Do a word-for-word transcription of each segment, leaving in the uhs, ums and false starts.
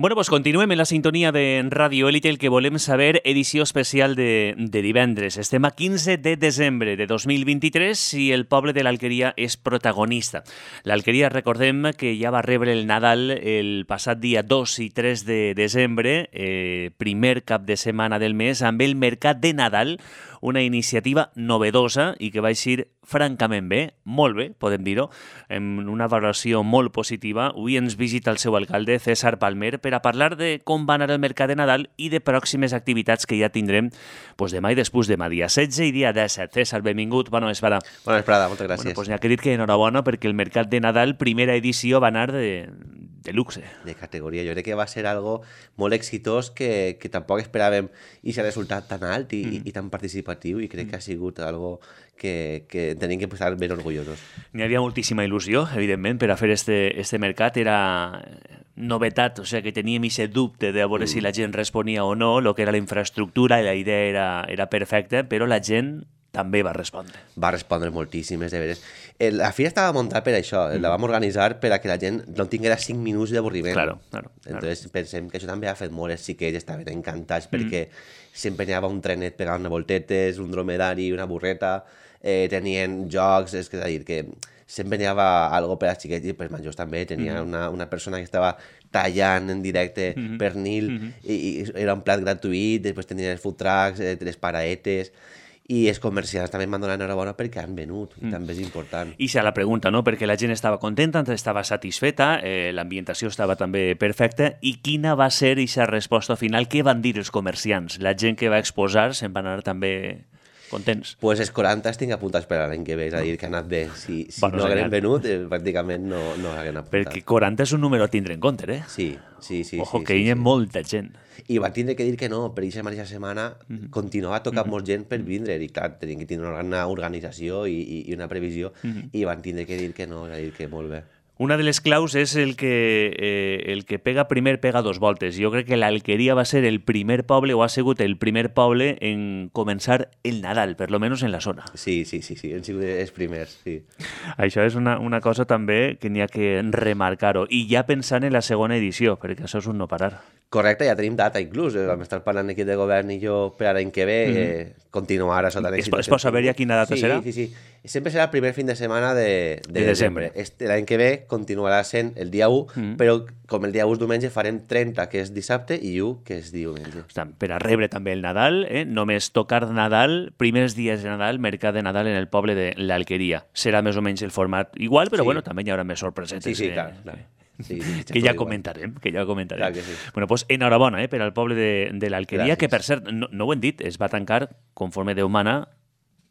Bueno, pues continuem en la sintonia de Radio Élite, el que volem saber, edició especial de, de divendres. Estem a quinze de desembre de dos mil vint-i-tres i el poble de l'Alqueria és protagonista. L'Alqueria, recordem que ja va rebre el Nadal el passat dia dos i tres de desembre, eh, primer cap de setmana del mes, amb el Mercat de Nadal, una iniciativa novedosa i que va eixir francament bé, molt bé, podem dir-ho, amb una valoració molt positiva. Avui ens visita el seu alcalde, César Palmer, per a parlar de com va anar el Mercat de Nadal i de pròximes activitats que ja tindrem pues, demà i després demà, dia setze i dia disset. César, benvingut, bona vesprada. Bona vesprada, moltes gràcies. Bueno, pues n'hi ha que dir que enhorabona perquè el Mercat de Nadal, primera edició, va anar de, de luxe. De categoria. Jo crec que va ser algo molt exitós que, que tampoc esperàvem i s'ha resultat tan alt i, mm. i, i tan participatiu i crec mm. que ha sigut algo que, que tenim que estar ben orgullosos. N'hi havia moltíssima il·lusió, evidentment, per a fer este, este mercat. Era novetat, o sigui, que teníem aquest dubte de veure mm. si la gent responia o no, el que era la infraestructura, i la idea era, era perfecta, però la gent també va respondre. Va respondre moltíssimes, de veres. La fira estava muntada per això, mm. la vam organitzar per a que la gent no tinguera cinc minuts d'avorriment. Claro, claro. Entonces claro. pensem que això també ha fet molt, els xiquets estaven encantats perquè mm. sempre n'hi havia un trenet pegant una voltetes, un dromedari, una burreta, eh, tenien jocs, és, és a dir, que sempre n'hi havia algo per als xiquets i per majors també. Tenia mm. una, una persona que estava tallant en directe mm -hmm. pernil mm -hmm. i, i era un plat gratuït, després tenien els food trucks, eh, les paraetes. I els comerciants també m'han donat enhorabona perquè han venut, mm. també és important. I se la pregunta, no?, perquè la gent estava contenta, estava satisfeta, eh, l'ambientació estava també perfecta, i quina va ser aquesta resposta final? Què van dir els comerciants? La gent que va exposar se'n va anar també contents? Pues els quaranta tinc apuntats per l'any que ve, és a dir, que ha anat bé. Si, si bueno, no hagueren venut, eh, pràcticament no, no hagueren apuntat. Perquè quaranta és un número a tindre en compte, eh? Sí, sí, sí. Ojo, sí, que sí, hi ha sí. molta gent. I van tindre que dir que no, per aquesta mateixa setmana mm-hmm. continuava tocant mm-hmm. molt gent per vindre, i clar, tenien que tindre una organització i, i, i una previsió, mm-hmm. i van tindre que dir que no, és a dir, que molt bé. Una de les claus és el que, eh, el que pega primer pega dos voltes. Jo crec que l'Alqueria va ser el primer poble, o ha sigut el primer poble en començar el Nadal, per lo menos en la zona. Sí, sí, sí, sí, han sigut els primers, sí. Això és una, una cosa també que n'hi ha que remarcar-ho. I ja pensant en la segona edició, perquè això és un no parar. Correcte, ja tenim data inclús. Vam estar parlant aquí de govern i jo per l'any que ve mm-hmm. eh, continuar a sota l'èxit. Es pot saber ja quina data sí, serà? Sí, sí, sí. Sempre serà el primer fin de setmana de, de, de desembre. Este, l'any que ve continuarà sent el dia u, mm-hmm. però com el dia u és diumenge farem trenta, que és dissabte, i u, que és diumenge. Ostres, per a rebre també el Nadal, eh? només tocar Nadal, primers dies de Nadal, mercat de Nadal en el poble de l'Alqueria. Serà més o menys el format igual, però sí. bueno, també hi haurà més sorpresetes. Sí, sí, eh? clar, clar. Sí, sí, que ja comentarem, que ja comentarem. Clar que sí. Bueno, pues enhorabona eh, per al poble de, de l'Alqueria, que per cert, no, no ho hem dit, es va tancar, conforme Déu mana,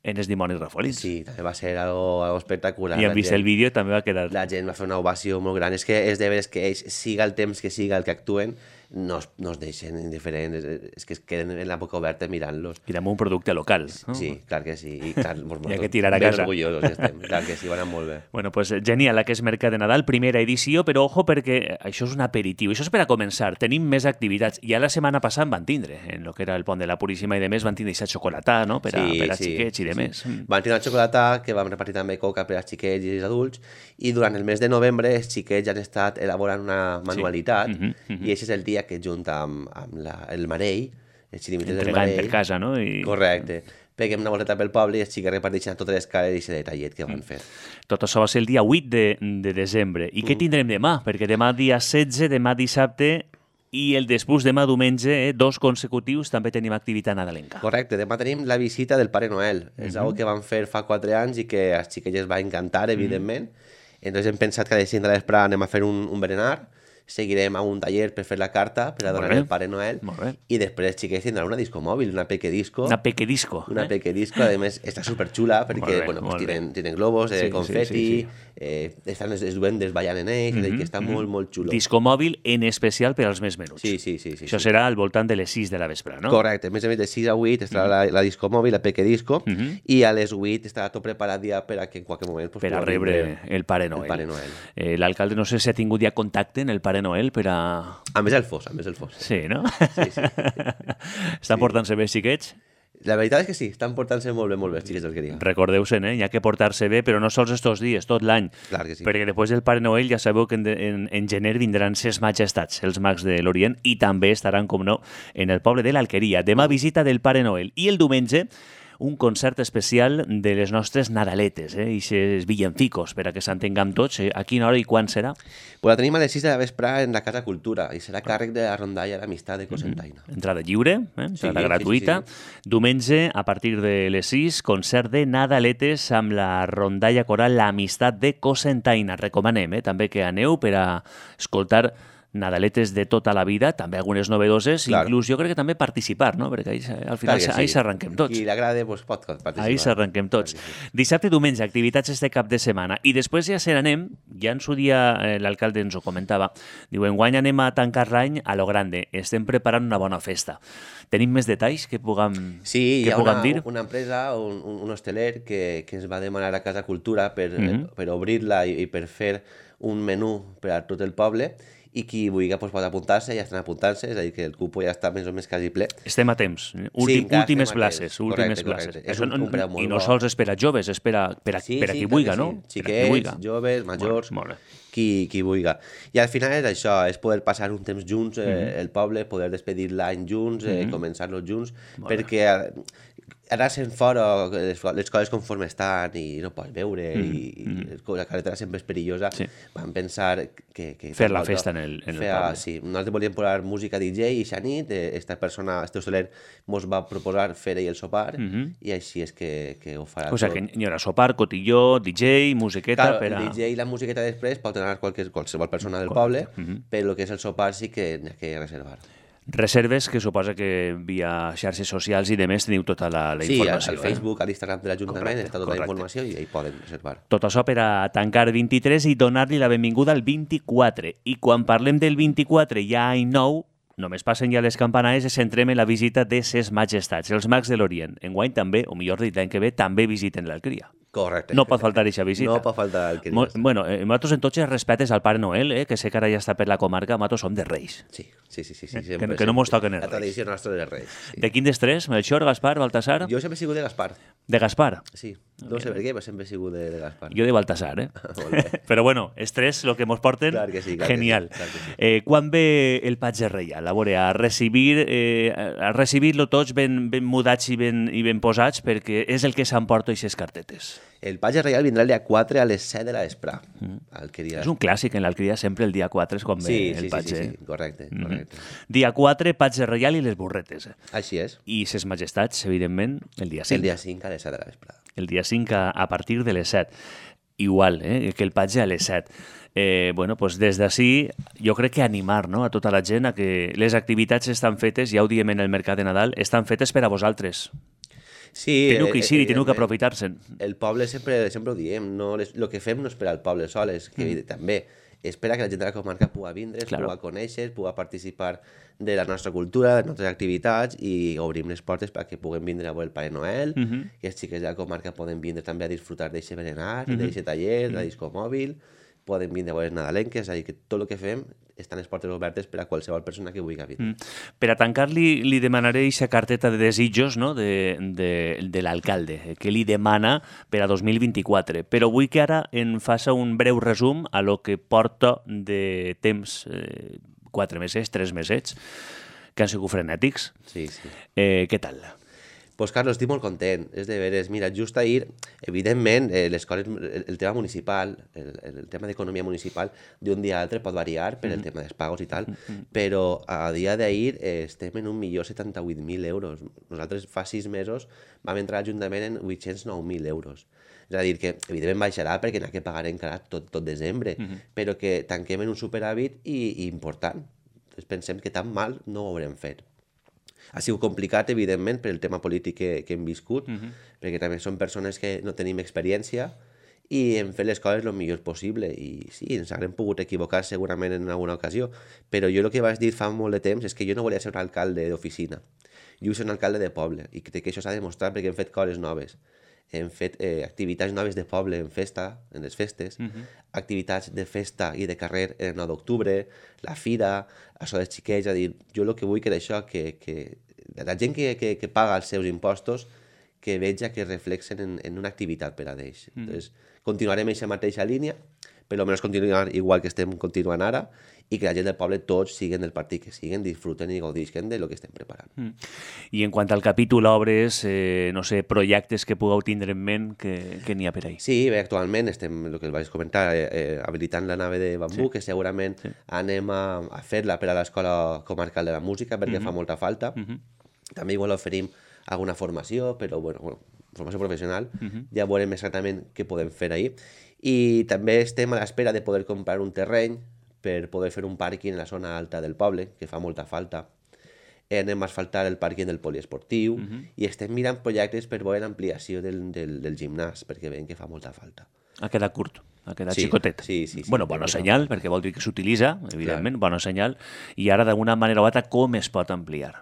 en els dimonis rafolins. Sí, també va ser algo, algo espectacular. I hem vist gent, el vídeo, també va quedar... La gent va fer una ovació molt gran. És que és de veres que ells, siga el temps que siga el que actuen, no es, no es deixen indiferents, és que es queden en la boca oberta mirant-los. I amb un producte local. No? Sí, clar que sí. I clar, hi ha que tirar a casa. Ben orgullosos estem, clar que sí, van anar molt bé. Bueno, pues genial, la que és Mercat de Nadal, primera edició, però ojo perquè això és un aperitiu, això és per a començar, tenim més activitats. Ja la setmana passada van tindre, en el que era el Pont de la Puríssima i de més, van tindre aquesta xocolatà, no?, per a, sí, per a sí, xiquets i de sí. més. Van tindre la xocolatà, que vam repartir també coca per als xiquets i els adults, i durant el mes de novembre els xiquets han estat elaborant una manualitat, sí. uh-huh, uh-huh. i aquest és el dia que junta amb amb la, el Marell, els xirimites del Marell. Per casa, no? I... Correcte. Peguem una volteta pel poble i els xiques reparteixen a totes les cares i aquest detallet que van fer. Tot això va ser el dia vuit de, de desembre. I mm. què tindrem demà? Perquè demà dia setze, demà dissabte i el després demà diumenge, eh, dos consecutius, també tenim activitat nadalenca. Correcte. Demà tenim la visita del Pare Noel. Mm-hmm. És una cosa que van fer fa quatre anys i que als xiquets els va encantar, evidentment. Mm-hmm. Entonces hem pensat que a les cinc de l'espre anem a fer un, un berenar. Seguirem a un taller per fer la carta, per a donar el Pare Noel, i després els xiquets tindran una disco mòbil, una peque disco. Una peque disco. Una eh? peque disco, a més està superxula, perquè bé, bueno, pues, tienen, tienen globos, eh, sí, confeti, sí, sí, sí. Eh, estan els duendes ballant en ells, mm-hmm, que està mm-hmm. molt, molt xulo. Disco mòbil en especial per als més menuts. Sí, sí, sí. sí Això sí. serà al voltant de les sis de la vespre, no? Correcte, a més a més de sis a vuit estarà mm-hmm. la, la disco mòbil, la peque disco, mm-hmm. i a les vuit estarà tot preparat ja per a que en qualsevol moment... Pues, per a rebre el Pare Noel. El Pare Noel. Eh, L'alcalde no sé si ha tingut ja contacte en el Pare Noel per a... A més el fos, a més el fos. Sí, no? Sí, sí. Estan sí. portant-se bé xiquets? La veritat és que sí, estan portant-se molt bé, molt bé els xiquets d'Alqueria. Recordeu-se'n, eh? Hi ha que portar-se bé, però no sols estos dies, tot l'any. Clar que sí. Perquè després del Pare Noel ja sabeu que en, en, en gener vindran ses majestats, els mags de l'Orient, i també estaran, com no, en el poble de l'Alqueria. Demà visita del Pare Noel. I el diumenge un concert especial de les nostres Nadaletes, eh? I ses villancicos, per a que s'entenguem tots. Eh? A quina hora i quan serà? Pues la tenim a les sis de la vespre en la Casa Cultura i serà càrrec de la rondalla d'Amistat de Cocentaina. Mm-hmm. Entrada lliure, eh? Entrada Sí, gratuïta. sí, sí, Diumenge, a partir de les sis, concert de Nadaletes amb la rondalla coral L'Amistat de Cocentaina. Recomanem, eh? També que aneu per a escoltar Nadaletes de tota la vida, també algunes novedoses, Clar. inclús jo crec que també participar, no? Perquè ahí, al final Clar que sí. ahí s'arranquem tots. Qui l'agrada, pues, pot participar. Ahí s'arranquem tots. Clar que sí. Dissabte i diumenge, activitats este cap de setmana. I després ja se n'anem, ja en su dia eh, l'alcalde ens ho comentava, diu, enguany anem a tancar l'any a lo grande, estem preparant una bona festa. Tenim més detalls que puguem, Sí, que hi ha puguem una, dir? una empresa, un, un, un hosteler, que, que ens va demanar a Casa Cultura per, Mhm. eh, per obrir-la i, i per fer un menú per a tot el poble, i qui vulgui pues, pot apuntar-se, ja estan apuntant-se, és a dir, que el cupo ja està més o més quasi ple. Estem a temps. Sí, Últim, encara últimes estem a temps. places. Últimes Correcte, places. correcte. És Això un- no- un preu molt I no bo. sols és per a joves, és per a, per a, Sí, per a sí, qui clar vulgui, que no? sí. Per a qui vulgui. Xiquets, joves, majors, Molt bé. qui, qui vulgui. I al final és això, és poder passar un temps junts, eh, Mhm. el poble, poder despedir l'any junts, eh, Mhm. començar-lo junts, Molt bé. perquè eh, ara sent fora les, les coses conforme estan i no pots veure Mhm, i, i la carretera sempre és perillosa, Sí. vam pensar que... que Fer la tan bo, festa en el- en el fer, poble. Sí, nosaltres volíem posar música D J i xa nit, eh, esta persona, este hosteler, mos va proposar fer ell el sopar Mhm. i així és que, que ho farà O sigui, tot. que hi haurà sopar, cotilló, D J, musiqueta... Claro, per a... el D J i la musiqueta després pot anar qualsevol, qualsevol persona del Correcte. poble, Mhm. però el que és el sopar sí que n'hi ha que reservar. Reserves que suposa que via xarxes socials i demés teniu tota la, la Sí, al, informació. al Facebook, a l'Instagram de l'Ajuntament Correcte, està tota correcte. la informació i ahí poden reservar. Eh? Tot això per a tancar vint-i-tres i donar-li la benvinguda al vint-i-quatre. I quan parlem del vint-i-quatre ja any nou, només passen ja les campanades i centrem en la visita de ses majestats, els mags de l'Orient. Enguany també, o millor dit, l'any que ve, també visiten l'Alqueria. Correcte. No pot faltar aquesta visita. No pot faltar el que Mo- dius. Bueno, eh, nosaltres en tots els respetes al Pare Noel, eh, que sé que ara ja està per la comarca, nosaltres som de Reis. Sí, sí, sí, sí, sí Que- sempre, que no mos toquen els La Reis. tradició nostra de Reis. Sí. De quin dels tres? Melchor, Gaspar, Baltasar? Jo sempre he sigut de Gaspar, De Gaspar. sí. No sé per què, però sempre he sigut de, de Gaspar. Jo de Baltasar, eh? Molt bé. Però bueno, els tres, el que mos porten, Clar que sí, clar que genial. sí, clar que sí. Eh, quan ve el patge reial? A veure, a recibir, eh, a recibir-lo tots ben, ben mudats i ben, i ben posats, perquè és el que s'emporta aquestes cartetes. El patge reial vindrà el dia quatre a les set de la vespre. Mm. Alqueria. És un clàssic en l'Alqueria, sempre el dia quatre és quan ve Sí, el sí, sí, patge. sí, sí, correcte, correcte. Dia quatre, patge reial i les burretes. Eh? Així és. I ses majestats, evidentment, el dia cinc. El dia cinc a les set de la vespre. El dia cinc a, a partir de les set. Igual, eh, que el patge a les set. Eh, bueno, pues des d'ací jo crec que animar, no?, a tota la gent a que les activitats estan fetes, ja ho diem en el mercat de Nadal, estan fetes per a vosaltres. Sí, Teniu que eh, eixir i teniu que evidentment. aprofitar-se'n. El poble sempre, sempre ho diem, no, les, el que fem no és per al poble sol, és que mm. també espera que la gent de la comarca pugui vindre, Claro. pugui conèixer, pugui participar de la nostra cultura, de les nostres activitats i obrim les portes perquè puguem vindre a veure el Pare Noel, Mm -hmm. i els xiquets de la comarca poden vindre també a disfrutar d'aquest berenar, Mhm. mm -hmm. d'aquest taller, de la disco mòbil, poden vindre a veure nadalenques, és a dir, que tot el que fem estan les portes obertes per a qualsevol persona que vulgui vindre. Mm. Per a tancar-li, li demanaré aquesta carteta de desitjos, no?, de, de, de l'alcalde, que li demana per a dos mil vint-i-quatre. Però vull que ara en faça un breu resum a lo que porta de temps, eh, quatre mesos, tres mesets, que han sigut frenètics. Sí, sí. Eh, què tal? Pues Carlos, estic molt content, és de veres. Mira, just ahir, evidentment, eh, les coses, el, el tema municipal, el, el tema d'economia municipal, d'un dia a l'altre pot variar per el tema dels pagos i tal, però a dia d'ahir eh, estem en un milió setanta-vuit mil euros. Nosaltres fa sis mesos vam entrar a l'Ajuntament en vuit-cents nou mil euros. És a dir, que evidentment baixarà perquè n'ha que pagar encara tot, tot desembre, uh -huh. però que tanquem en un superàvit i, i important. Entonces pensem que tan mal no ho haurem fet. Ha sigut complicat, evidentment, per el tema polític que, que hem viscut, uh-huh. perquè també són persones que no tenim experiència i hem fet les coses el millor possible. I sí, ens haurem pogut equivocar segurament en alguna ocasió, però jo el que vaig dir fa molt de temps és que jo no volia ser un alcalde d'oficina. Jo vull ser un alcalde de poble i crec que això s'ha demostrat perquè hem fet coses noves. Hem fet eh, activitats noves de poble en festa, en les festes, uh-huh. activitats de festa i de carrer el nou d'octubre, la fira, això dels xiquets, és a dir, jo el que vull que és això, que, que la gent que, que, que paga els seus impostos, que veja que reflexen en, en una activitat per a d'ells. Mm. Entonces, continuarem aquesta mateixa línia, però almenys continuar igual que estem continuant ara, i que la gent del poble tots siguen del partit que siguen, disfruten i gaudisquen de lo que estem preparant. Mm. I en quant al capítol obres, eh, no sé, projectes que pugueu tindre en ment, que, que n'hi ha per ahí? Sí, bé, actualment estem, el que vaig comentar, eh, eh, habilitant la nave de bambú, sí. que segurament sí. anem a, a fer-la per a l'Escola Comarcal de la Música, perquè mm-hmm. fa molta falta. Mm-hmm. També igual oferim alguna formació, però bueno, bueno formació professional, uh-huh. ja veurem exactament què podem fer ahir. I també estem a l'espera de poder comprar un terreny per poder fer un pàrquing en la zona alta del poble, que fa molta falta. Anem a asfaltar el pàrquing del poliesportiu uh-huh. i estem mirant projectes per veure l'ampliació del, del, del gimnàs, perquè veiem que fa molta falta. Ha quedat curt, ha quedat sí, xicotet. Sí, sí, sí, bueno, bona senyal, fa... perquè vol dir que s'utilitza, evidentment, clar. Bona senyal. I ara, d'alguna manera o altra, com es pot ampliar?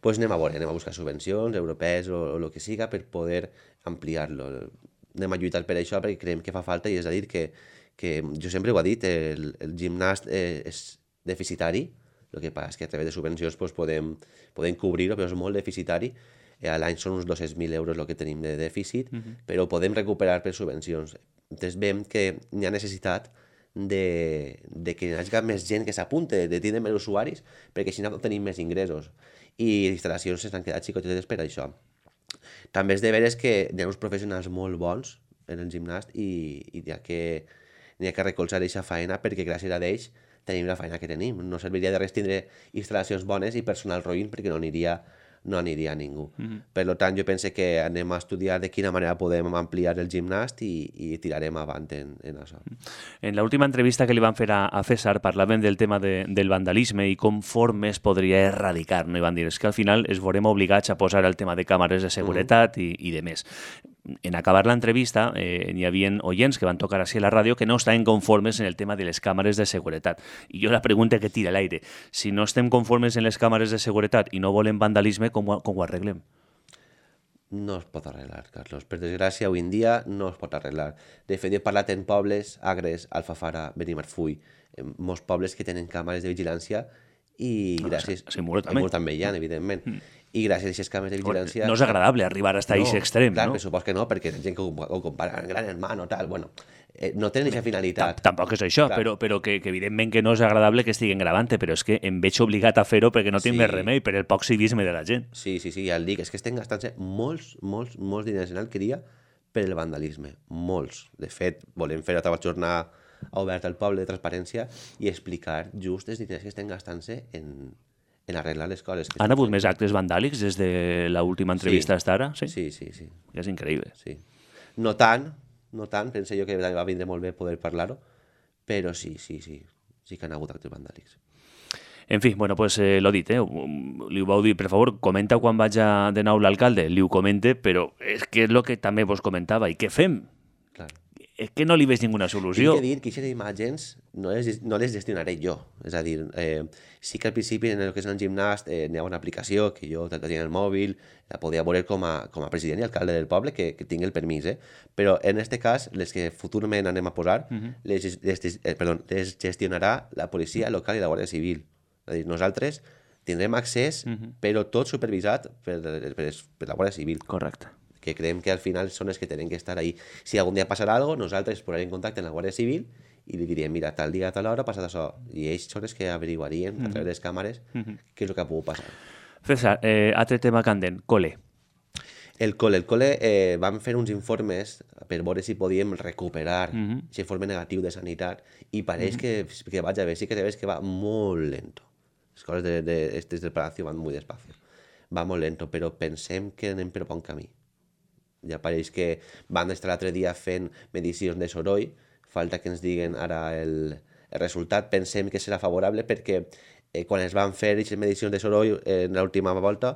Pues anem a veure, anem a buscar subvencions europees o, o el que siga per poder ampliar-lo. Anem a lluitar per això perquè creiem que fa falta, i és a dir que, que jo sempre ho he dit, el, el gimnàs eh, és deficitari, el que passa és que a través de subvencions pues, podem, podem cobrir-ho, però és molt deficitari. Eh, a l'any són uns dos-cents mil euros el que tenim de dèficit, uh-huh. però ho podem recuperar per subvencions. Entonces veiem que hi ha necessitat de, de que hi hagi més gent que s'apunte, de tindre més usuaris, perquè així no tenim més ingressos. I les instal·lacions s'han quedat xicotetes per això. També és de veres que hi ha uns professionals molt bons en el gimnàs i, i hi, ha que, hi ha que recolzar aquesta feina, perquè gràcies a ells tenim la feina que tenim. No serviria de res tindre instal·lacions bones i personal roïn, perquè no aniria, no aniria a ningú. Mm-hmm. Per tant, jo penso que anem a estudiar de quina manera podem ampliar el gimnàs i, i tirarem avant en, en això. En l'última entrevista que li van fer a, a César parlaven del tema de, del vandalisme i com formes podria erradicar, no? I van dir, és que al final es veurem obligats a posar el tema de càmeres de seguretat mm-hmm. i, i de més. En acabar l'entrevista eh, n'hi havia oients que van tocar així a la ràdio que no estaven conformes en el tema de les càmeres de seguretat. I jo la pregunta que tira a l'aire, si no estem conformes en les càmeres de seguretat i no volem vandalisme, com ho, com ho arreglem? No es pot arreglar, Carlos. Per desgràcia, avui en dia no es pot arreglar. De fet, he parlat en pobles, Agres, Alfafara, Benimarfull, en molts pobles que tenen càmeres de vigilància i no, gràcies... A Muro també. A Muro també hi ha, evidentment. Mm. I gràcies a aquestes càmeres de vigilància... No és agradable arribar fins a aquest no, extrem, clar, no? Clar, per supost que no, perquè la gent que ho, ho compara en gran hermano, tal, bueno, eh, no tenen aquesta finalitat. Tampoc és això, clar. però, però que, que evidentment que no és agradable que estiguen gravant, però és que em veig obligat a fer-ho perquè no tinc sí. més remei, per el poc civisme de la gent. Sí, sí, sí, ja el dic, és que estem gastant-se molts, molts, molts diners en alqueria per el vandalisme, molts. De fet, volem fer a la jornada oberta al poble de transparència i explicar just els diners que estem gastant-se en... en arreglar les coses. Han hagut més actes vandàlics des de l'última entrevista sí. hasta ara? Sí, sí, sí. sí. És increïble. Sí. No tant, no tant, pense jo que va vindre molt bé poder parlar-ho, però sí, sí, sí, sí que han hagut actes vandàlics. En fi, bueno, pues eh, l'ho dit, eh? Li ho vau dir, per favor, comenta quan vaig a de nou l'alcalde, li ho comente, però és que és el que també vos comentava, i què fem? Clar. És que no li veig ninguna solució. Tinc que dir que aquestes imatges no les, no les gestionaré jo. És a dir, eh, sí que al principi en el que és el gimnàs eh, n'hi ha una aplicació que jo la tenia en el mòbil, la podia veure com a, com a president i alcalde del poble, que, que tinc el permís, eh? Però en aquest cas, les que futurament anem a posar, uh-huh. les, les, eh, perdó, les gestionarà la policia local i la Guàrdia Civil. És a dir, nosaltres tindrem accés, uh-huh. però tot supervisat per, per, per la Guàrdia Civil. Correcte. Que creiem que al final són els que tenen que estar ahí. Si algun dia passarà alguna cosa, nosaltres posarem en contacte amb la Guàrdia Civil i li diríem, mira, tal dia, tal hora ha passat això. I ells són els que averiguarien mm-hmm. a través de les càmeres mm-hmm. què és el que ha pogut passar. César, eh, altre tema candent, col·le. El col·le. El col·le eh, vam fer uns informes per veure si podíem recuperar mm-hmm. aquest informe negatiu de sanitat i pareix mm-hmm. que, que vaig a veure, sí que veus que va molt lento. Les coses de, de, de, del Palacio van molt despacio. Va molt lento, però pensem que anem per bon camí. Ja pareix que van estar l'altre dia fent medicions de soroll, falta que ens diguen ara el, el resultat, pensem que serà favorable perquè eh, quan es van fer aquestes medicions de soroll eh, en l'última volta,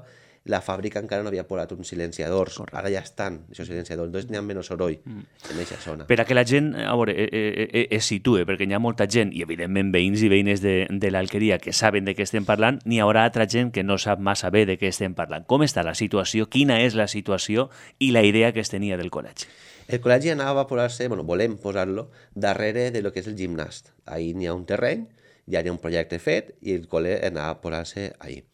la fàbrica encara no havia posat uns silenciadors. Correcte. Ara ja estan, aquests silenciadors, doncs n'hi ha menys soroll mm. en aquesta zona. Per a que la gent, a veure, eh, eh, es situe, perquè hi ha molta gent, i evidentment veïns i veïnes de, de l'Alqueria que saben de què estem parlant, n'hi haurà altra gent que no sap massa bé de què estem parlant. Com està la situació, quina és la situació i la idea que es tenia del col·legi? El col·legi anava a posar-se, bueno, volem posar-lo, darrere de lo que és el gimnàs. Ahí n'hi ha un terreny, ja hi ha un projecte fet i el col·le anava a posar-se ahí.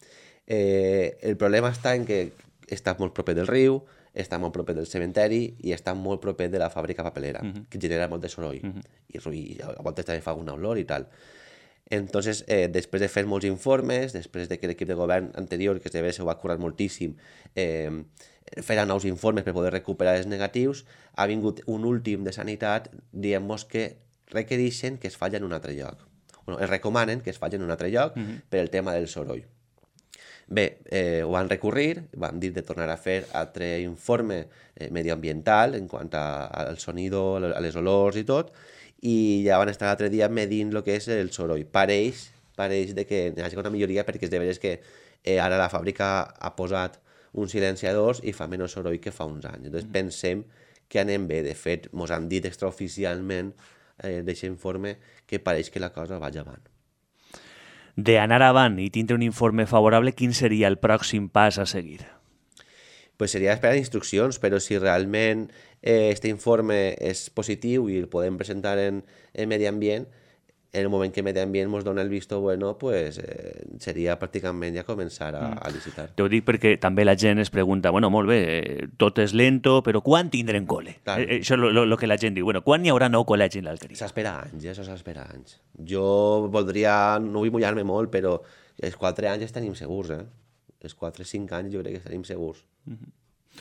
Eh, el problema està en que està molt proper del riu, està molt proper del cementeri i està molt proper de la fàbrica papelera, uh -huh. que genera molt de soroll. Uh -huh. I, i a voltes també fa una olor i tal. Entonces, eh, després de fer molts informes, després de que l'equip de govern anterior, que se ho va curar moltíssim, eh, fer nous informes per poder recuperar els negatius, ha vingut un últim de sanitat dient-nos que requereixen que es falli en un altre lloc. Bueno, es recomanen que es falli en un altre lloc uh-huh. per el tema del soroll. Bé, eh, ho van recurrir, van dir de tornar a fer altre informe eh, medioambiental en quant a, al sonido, a les olors i tot, i ja van estar l'altre dia medint el que és el soroll. Pareix, pareix de que hi hagi una milloria perquè és de veres que eh, ara la fàbrica ha posat uns silenciadors i fa menys soroll que fa uns anys. Entonces pensem que anem bé. De fet, mos han dit extraoficialment eh, d'aquest informe que pareix que la cosa va avant. D'anar avant i tindre un informe favorable, quin seria el pròxim pas a seguir? Pues seria esperar instruccions, però si realment eh, este informe és positiu i el podem presentar en, en Medi Ambient, en el moment que Medi Ambient ens dona el visto bueno, pues, eh, seria pràcticament ja començar a, a licitar. T'ho dic perquè també la gent es pregunta, bueno, molt bé, eh, tot és lento, però quan tindrem col·le? Claro. Eh, això és el que la gent diu. Bueno, quan hi haurà nou col·legi en l'Alqueria? S'espera anys, això s'espera anys. Jo voldria, no vull mullar-me molt, però els quatre anys tenim segurs, eh? Els quatre cinc anys jo crec que tenim segurs. Uh-huh.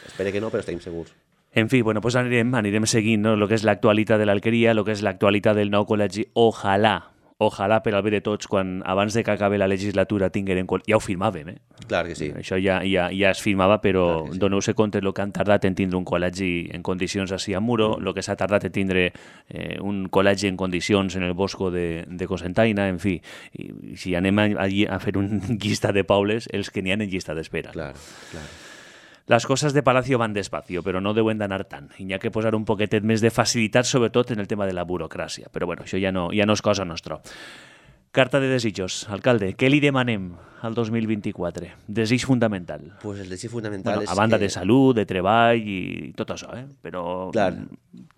Espero que no, però estem segurs. En fi, bueno, pues anirem, anirem seguint no? Lo que és l'actualitat de l'Alqueria, lo que és l'actualitat del nou col·legi. Ojalà, ojalà per al bé de tots, quan abans de que acabi la legislatura tinguérem... Ja ho firmàvem, eh? Clar que sí. Això ja, ja, ja es firmava, però sí. Doneu-se compte el que han tardat en tindre un col·legi en condicions així a Muro, el mm. que s'ha tardat en tindre eh, un col·legi en condicions en el Bosco de, de Cocentaina, en fi. I, si anem allí a fer un llista de pobles, els que n'hi ha en llista d'espera. Clar, clar. Les coses de Palacio van despacio, però no deuen d'anar tant. I hi ha que posar un poquetet més de facilitat, sobretot en el tema de la burocràcia. Però bueno, això ja no, ja no és cosa nostra. Carta de desitjos. Alcalde, què li demanem al dos mil vint-i-quatre? Desig fundamental. Pues el desig fundamental bueno, és a banda que... de salut, de treball i tot això, eh? Però clar.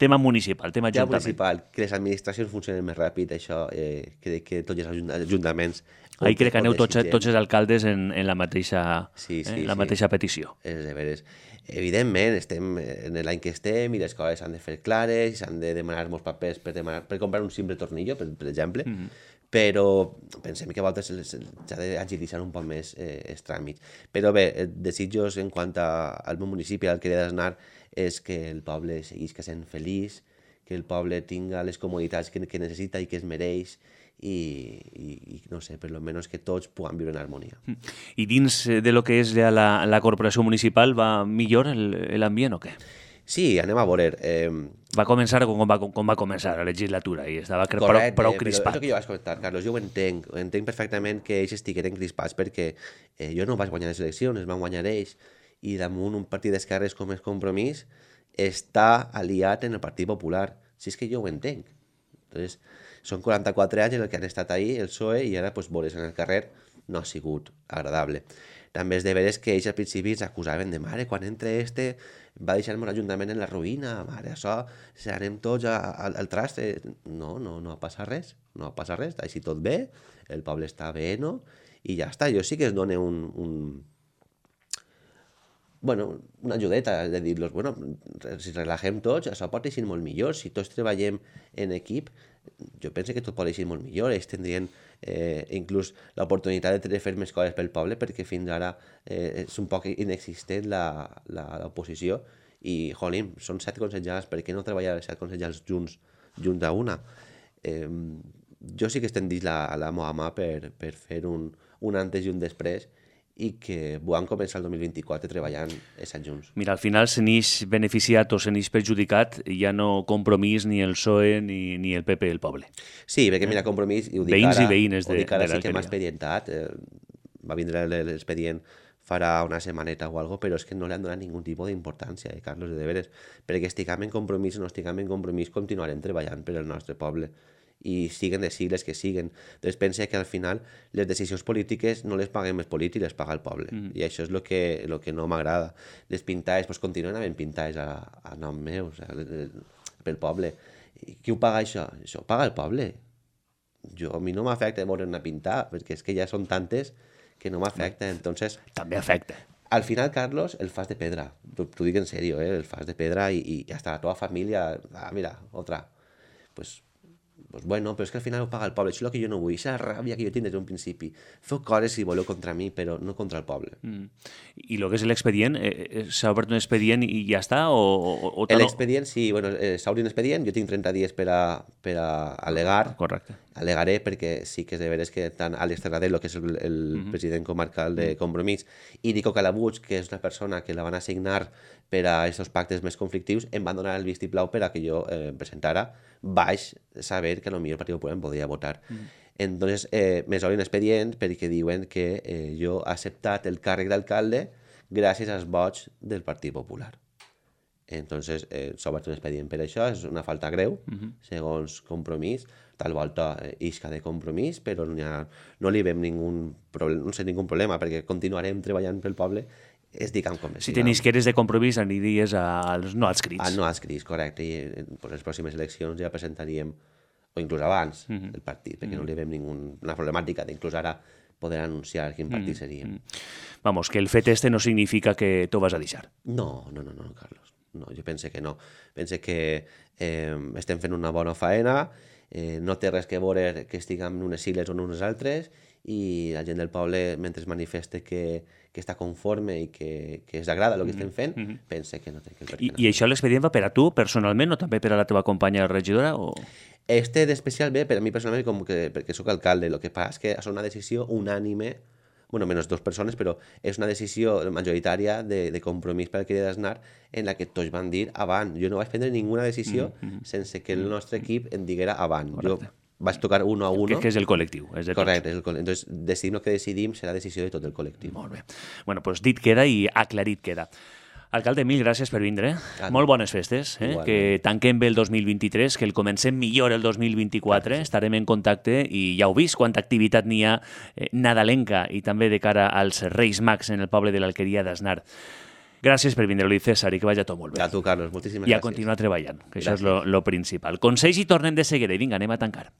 Tema municipal, tema ajuntament. Tema municipal, que les administracions funcionen més ràpid, això eh, crec que tots els ajuntaments... Ahí crec que aneu tots, tots els alcaldes en, en la mateixa, sí, sí, eh, la sí. mateixa petició. És de veres. Evidentment, estem en l'any que estem i les coses s'han de fer clares, s'han de demanar molts papers per, demanar, per comprar un simple tornillo, per, per exemple, mm -hmm. però pensem que a voltes s'ha d'agilitzar un poc més eh, els tràmits. Però bé, desitjos en quant a, al meu municipi, al que he d'anar, és que el poble seguís sent feliç, que el poble tinga les comoditats que, que necessita i que es mereix, i, i, i no sé, per lo menos que tots puguem viure en harmonia. I dins de lo que és ja la, la corporació municipal va millor l'ambient o què? Sí, anem a veure. Eh... Va començar com va, com va començar la legislatura i estava Correcte, prou, prou crispat. Però és el que jo vaig comentar, Carlos, jo ho entenc, ho entenc perfectament que ells estigueren crispats perquè eh, jo no vaig guanyar les eleccions, es van guanyar ells, i damunt un partit d'esquerres com és Compromís està aliat en el Partit Popular. Si és que jo ho entenc. Entonces, són quaranta-quatre anys en el que han estat ahí, el P S O E, i ara pues, veure's en el carrer no ha sigut agradable. També és de veres que ells al principi ens acusaven de mare, quan entre este va deixar-me l'Ajuntament en la ruïna, mare, això, si anem tots a, a, al traste. No, no, no ha passat res, no ha passat res, així tot bé, el poble està bé, no? I ja està, jo sí que es dona un... un bueno, una ajudeta de dir-los, bueno, si relaxem tots, això pot eixir molt millor, si tots treballem en equip, jo penso que tot pot eixir molt millor, ells tindrien eh, inclús l'oportunitat de fer més coses pel poble, perquè fins ara eh, és un poc inexistent l'oposició, i, jolín, són set consellers, per què no treballar set consellers junts, junts a una? Eh, jo sí que estem dins la, la meva mà per, per fer un, un antes i un després, i que van començar el dos mil vint-i-quatre treballant estats junts. Mira, al final se n'eix beneficiat o se n'eix perjudicat ja no Compromís, ni el P S O E, ni, ni el P P, el poble. Sí, perquè mira, Compromís, i ho dic veïns ara, i veïnes de, ho dic ara de sí que m'ha expedientat, eh, va vindre l'expedient farà una setmaneta o alguna cosa, però és que no li han donat ningú tipus d'importància, eh, Carlos, de veres, perquè estiguem en Compromís o no estiguem en Compromís, continuarem treballant per al nostre poble, i siguen de sigles que siguen. Entonces pensa que al final les decisions polítiques no les paguem els polítics, les paga el poble. Mm. I això és el que, lo que no m'agrada. Les pintades, pues, continuen havent pintades a, a nom meu, o sea, pel poble. I qui ho paga això? Això ho paga el poble. Jo, a mi no m'afecta veure una pintada, perquè és que ja són tantes que no m'afecta. Entonces, també afecta. Al final, Carlos, el fas de pedra. T'ho dic en serio, ¿eh? El fas de pedra y, y hasta la teva família... Ah, mira, otra. Pues, pues bueno, però és que al final ho paga el poble. Això és el que jo no vull. Aquesta ràbia que jo tinc des d'un principi. Feu coses si voleu contra mi, però no contra el poble. Mm. I el que és l'expedient, eh, s'ha obert un expedient i ja està? O, o, o L'expedient, sí, bueno, eh, s'obre un expedient, jo tinc trenta dies per a, per a al·legar. Correcte. Al·legaré perquè sí que és de veres que tant Àlex Terradelo, que és el, el uh -huh. president comarcal de Compromís, i Nico Calabuig, que és una persona que la van assignar per a aquests pactes més conflictius, em van donar el vistiplau per a que jo eh, presentara, baix saber que potser el Partit Popular em podia votar. Uh -huh. Entonces, eh, me s'obren expedient perquè diuen que eh, jo he acceptat el càrrec d'alcalde gràcies als vots del Partit Popular. Entonces, eh, s'ha obert un expedient per això, és una falta greu, uh -huh. segons Compromís, tal volta eh, isca de Compromís, però no, ha, no li veiem ningú problema, no sé, ningú problema, perquè continuarem treballant pel poble, es diguem com es Si tenis que eres de Compromís, aniries als no adscrits. A no adscrits, correcte, i en les pròximes eleccions ja presentaríem, o inclús abans, uh -huh. el partit, perquè uh -huh. no li veiem ninguna problemàtica d'inclús ara poder anunciar quin partit uh -huh. seria. Uh -huh. Vamos, que el fet este no significa que t'ho vas a deixar. No, no, no, no, Carlos. No, jo pense que no. Pense que eh, estem fent una bona faena, eh, no té res que veure que estiguem en unes sigles o en unes altres, i la gent del poble, mentre es manifeste que, que està conforme i que, que es agrada el que estem fent, mm -hmm. pense que no té que... I, I això l'expedient va per a tu personalment o també per a la teva companya regidora? O... Este d'especial bé per a mi personalment com que, perquè sóc alcalde. El que passa és que és una decisió unànime, bueno, menys dues persones, però és una decisió majoritària de, de Compromís per l'Alqueria d'Asnar en la que tots van dir abans. Jo no vaig prendre ninguna decisió mm -hmm. sense que el nostre equip en diguera abans. Correcte. Jo vaig tocar uno a uno. Que, que és el col·lectiu. És de Correcte. És el col·lectiu. Entonces, decidim el que decidim serà decisió de tot el col·lectiu. Molt bé. Bueno, doncs dit queda i aclarit queda. Alcalde, mil gràcies per vindre. Ah, Molt bones festes. Eh? Que tanquem bé el dos mil vint-i-tres, que el comencem millor el dos mil vint-i-quatre. Estarem en contacte i ja heu vist quanta activitat n'hi ha eh, nadalenca i també de cara als Reis Mags en el poble de l'Alqueria d'Asnar. Gràcies per vindre, Luis César, i que vagi tot molt bé. A tu, Carlos, moltíssimes I gràcies. I a continuar treballant, que gràcies. Això és lo, lo principal. Consells i tornem de seguida. I vinga, anem a tancar.